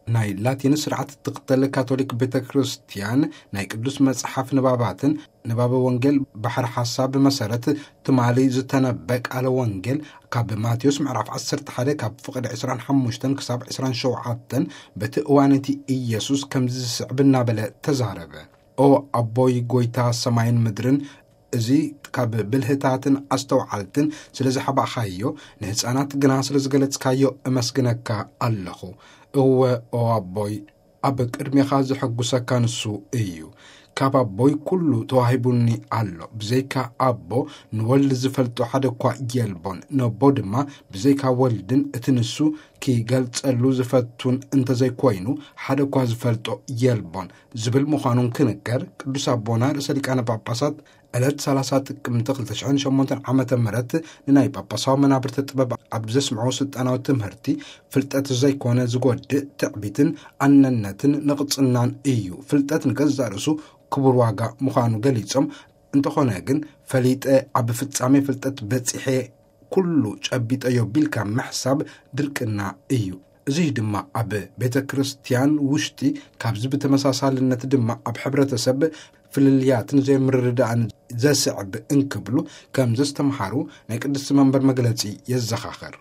ናይ ላቲን ስርዓት እትኽተል ካቶሊክ ቤተ ክርስቲያን፣ ናይ ቅዱስ መጽሓፍ ንባባትን ንባበ ወንጌል ባሕሪ ሓሳብ መሰረት ትማሊ ዝተነበ ቃለ ወንጌል ካብ ማቴዎስ ምዕራፍ ዓሰርተ ሓደ ካብ ፍቕዲ ዕስራን ሓሙሽተን ክሳብ ዕስራን ሸውዓተን፣ በቲ እዋን እቲ ኢየሱስ ከምዚ ዝስዕብ እናበለ ተዛረበ። "ኦ ኣቦይ፣ ጎይታ ሰማይን ምድርን፣ እዚ ካብ ብልህታትን ኣስተውዓልትን ስለ ዝሓባእኻዮ፣ ንህፃናት ግና ስለ ዝገለጽካዮ እመስግነካ ኣለኹ። እወ፣ ኦ ኣቦይ፣ ኣብ ቅድሜኻ ዘሐጉሰካ ንሱ እዩ። ካብ ኣቦይ ኩሉ ተዋሂቡኒ ኣሎ። ብዘይካ ኣቦ ንወልድ ዝፈልጦ ሓደ እኳ የልቦን። ነቦ ድማ ብዘይካ ወልድን እቲ ንሱ ኪገልጸሉ ዝፈቱን እንተዘይኮይኑ ሓደ እኳ ዝፈልጦ የልቦን" ዝብል ምዃኑን ክንገር፣ ቅዱስ ኣቦና ርእሰ ሊቃነ ጳጳሳት ዕለት ሰላሳ ጥቅምቲ ክልተ ሽሕን ሸሞንተን ዓመተ ምህረት ንናይ ጳጳሳዊ መናብርቲ ጥበብ ኣብ ዘስምዑ ስልጣናዊ ትምህርቲ፣ ፍልጠት ዘይኮነ ዝጎድእ ትዕቢትን ኣነነትን ንቕጽናን እዩ። ፍልጠት ንገዛእ ርእሱ ክቡር ዋጋ ምዃኑ ገሊጾም፣ እንተኾነ ግን ፈሊጠ ኣብ ፍጻሜ ፍልጠት በጺሐ ኩሉ ጨቢጠዮ ቢልካ ምሕሳብ ድርቅና እዩ። እዚ ድማ ኣብ ቤተ ክርስቲያን ውሽጢ፣ ካብዚ ብተመሳሳልነት ድማ ኣብ ሕብረተሰብ ፍልልያትን ዘይምርድዳእን ዘስዕብ እንክብሉ ከም ዘስተምሃሩ ናይ ቅድስቲ መንበር መግለጺ የዘኻኸር።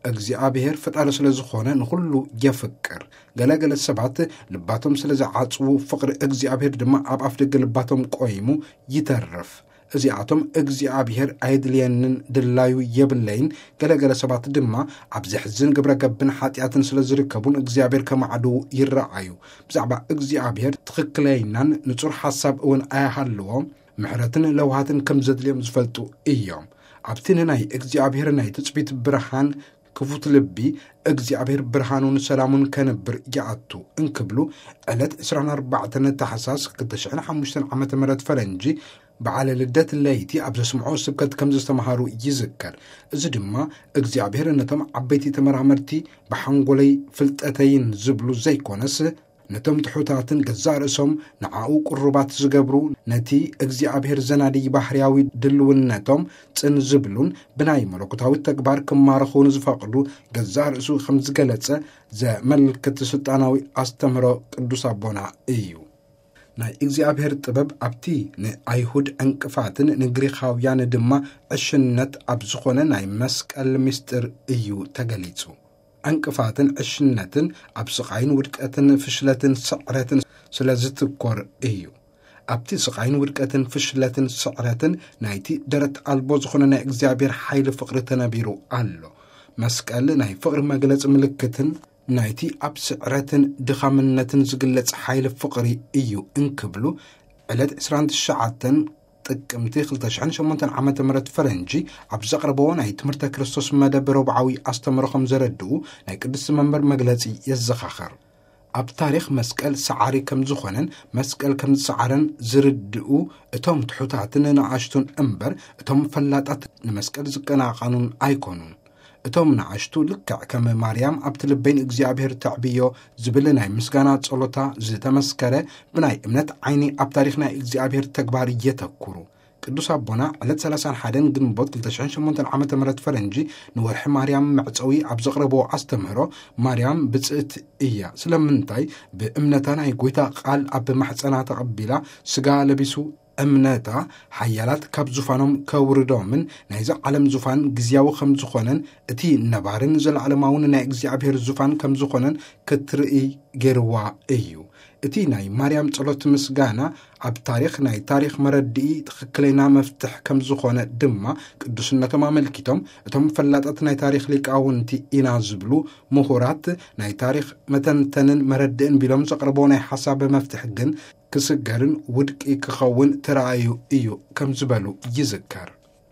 እግዚኣብሔር ፈጣሪ ስለ ዝኾነ ንኹሉ የፍቅር። ገለገለ ሰባት ልባቶም ስለ ዝዓጽዉ፣ ፍቕሪ እግዚኣብሔር ድማ ኣብ ኣፍደገ ልባቶም ቆይሙ ይተርፍ። እዚኣቶም እግዚኣብሔር ኣየድልየንን ድላዩ የብለይን። ገለገለ ሰባት ድማ ኣብ ዘሕዝን ግብረ ገብን ሓጢኣትን ስለ ዝርከቡን እግዚኣብሔር ከማዕድዉ ይረኣዩ። ብዛዕባ እግዚኣብሔር ትኽክለይናን ንጹር ሓሳብ እውን ኣያሃልዎም። ምሕረትን ለውሃትን ከም ዘድልዮም ዝፈልጡ እዮም። ኣብቲ ንናይ እግዚኣብሔር ናይ ትጽቢት ብርሃን ክፉት ልቢ፣ እግዚኣብሔር ብርሃኑን ሰላሙን ከንብር ይኣቱ እንክብሉ፣ ዕለት ዕስራን ኣርባዕተን ታሕሳስ ክልተ ሽሕን ሓሙሽተን ዓመተ ምህረት ፈረንጂ፣ በዓለ ልደት ለይቲ ኣብ ዘስምዖ ስብከት ከም ዘስተምሃሩ ይዝከር። እዚ ድማ እግዚኣብሔር ነቶም ዓበይቲ ተመራመርቲ ብሓንጎለይ ፍልጠተይን ዝብሉ ዘይኮነስ፣ ነቶም ትሑታትን ገዛእ ርእሶም ንዓኡ ቅሩባት ዝገብሩ፣ ነቲ እግዚኣብሔር ዘናድይ ባህርያዊ ድልውነቶም ጽን ዝብሉን ብናይ መለኮታዊ ተግባር ክማረኹ ንዝፈቕዱ ገዛእ ርእሱ ከም ዝገለጸ ዘመልክት ስልጣናዊ ኣስተምህሮ ቅዱስ ኣቦና እዩ። ናይ እግዚኣብሔር ጥበብ ኣብቲ ንኣይሁድ ዕንቅፋትን ንግሪኻውያን ድማ ዕሽነት ኣብ ዝኾነ ናይ መስቀል ምስጢር እዩ ተገሊጹ። ዕንቅፋትን ዕሽነትን ኣብ ስቓይን ውድቀትን ፍሽለትን ስዕረትን ስለ ዝትኮር እዩ። ኣብቲ ስቓይን ውድቀትን ፍሽለትን ስዕረትን ናይቲ ደረት ኣልቦ ዝኾነ ናይ እግዚኣብሔር ሓይሊ ፍቕሪ ተነቢሩ ኣሎ። መስቀል ናይ ፍቕሪ መግለጺ ምልክትን ናይቲ ኣብ ስዕረትን ድኻምነትን ዝግለጽ ሓይሊ ፍቕሪ እዩ እንክብሉ፣ ዕለት ዕስራን ትሽዓተን ጥቅምቲ ክልተ ሽሕን ሸሞንተን ዓመተ ምህረት ፈረንጂ ኣብ ዘቕረብዎ ናይ ትምህርተ ክርስቶስ መደብ ረቡዓዊ ኣስተምህሮ ከም ዘረድኡ ናይ ቅድስቲ መንበር መግለጺ የዘኻኸር። ኣብ ታሪኽ መስቀል ሰዓሪ ከም ዝኾነን መስቀል ከም ዝሰዓረን ዝርድኡ እቶም ትሑታትን ንኣሽቱን እምበር፣ እቶም ፈላጣት ንመስቀል ዝቀናቐኑን ኣይኮኑን። እቶም ንኣሽቱ ልክዕ ከም ማርያም ኣብቲ ልበይ ንእግዚኣብሔር ተዕብዮ ዝብል ናይ ምስጋና ጸሎታ ዝተመስከረ ብናይ እምነት ዓይኒ ኣብ ታሪኽ ናይ እግዚኣብሔር ተግባር የተኩሩ። ቅዱስ ኣቦና ዕለት ሰላሳን ሓደን ግንቦት ክልተ ሽሕን ሸሞንተን ዓመተ ምህረት ፈረንጂ ንወርሒ ማርያም መዕጸዊ ኣብ ዘቕረብዎ ኣስተምህሮ፣ ማርያም ብጽእት እያ። ስለምንታይ? ብእምነታ ናይ ጐይታ ቃል ኣብ ማሕጸና ተቐቢላ፣ ስጋ ለቢሱ፣ እምነታ ሓያላት ካብ ዙፋኖም ከውርዶምን ናይዚ ዓለም ዙፋን ግዝያዊ ከም ዝኾነን እቲ ነባርን ዘለዓለማውን ናይ እግዚኣብሔር ዙፋን ከም ዝኾነን ክትርኢ ገይርዋ እዩ። እቲ ናይ ማርያም ጸሎት ምስጋና ኣብ ታሪኽ ናይ ታሪኽ መረድኢ ትኽክለኛ መፍትሕ ከም ዝኾነ ድማ ቅዱስነቶም ኣመልኪቶም፣ እቶም ፈላጣት ናይ ታሪኽ ሊቃውንቲ ኢና ዝብሉ ምሁራት ናይ ታሪኽ መተንተንን መረድእን ቢሎም ዘቕርቦ ናይ ሓሳብ መፍትሕ ግን ክስገርን ውድቂ ክኸውን ተራእዩ እዩ ከም ዝበሉ ይዝከር።